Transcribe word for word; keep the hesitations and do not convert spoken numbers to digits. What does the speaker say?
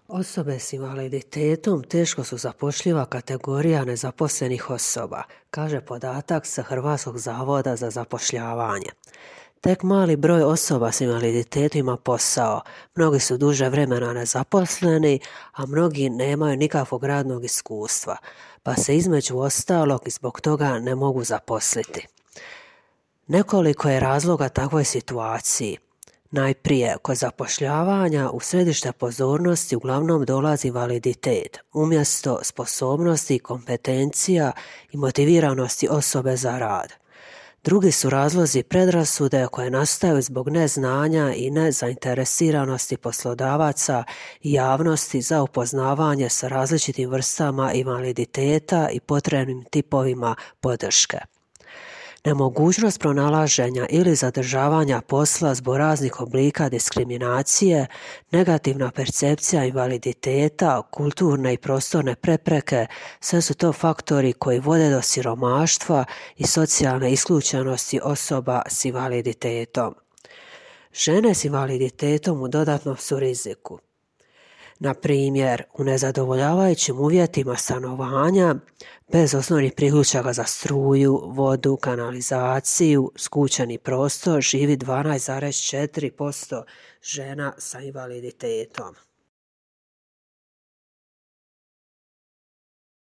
Osobe s invaliditetom teško su zapošljiva kategorija nezaposlenih osoba, kaže podatak sa Hrvatskog zavoda za zapošljavanje. Tek mali broj osoba s invaliditetom ima posao, mnogi su duže vremena nezaposleni, a mnogi nemaju nikakvog radnog iskustva, pa se između ostalog i zbog toga ne mogu zaposliti. Nekoliko je razloga takvoj situaciji. Najprije, kod zapošljavanja u središte pozornosti uglavnom dolazi invaliditet, umjesto sposobnosti, kompetencija i motiviranosti osobe za rad. Drugi su razlozi predrasude koje nastaju zbog neznanja i nezainteresiranosti poslodavaca i javnosti za upoznavanje sa različitim vrstama invaliditeta i potrebnim tipovima podrške. Nemogućnost pronalaženja ili zadržavanja posla zbog raznih oblika diskriminacije, negativna percepcija invaliditeta, kulturne i prostorne prepreke, sve su to faktori koji vode do siromaštva i socijalne isključenosti osoba s invaliditetom. Žene s invaliditetom u dodatnom su riziku. Na primjer, u nezadovoljavajućim uvjetima stanovanja, bez osnovnih priključaka za struju, vodu, kanalizaciju, skučeni prostor živi dvanaest zarez četiri posto žena sa invaliditetom.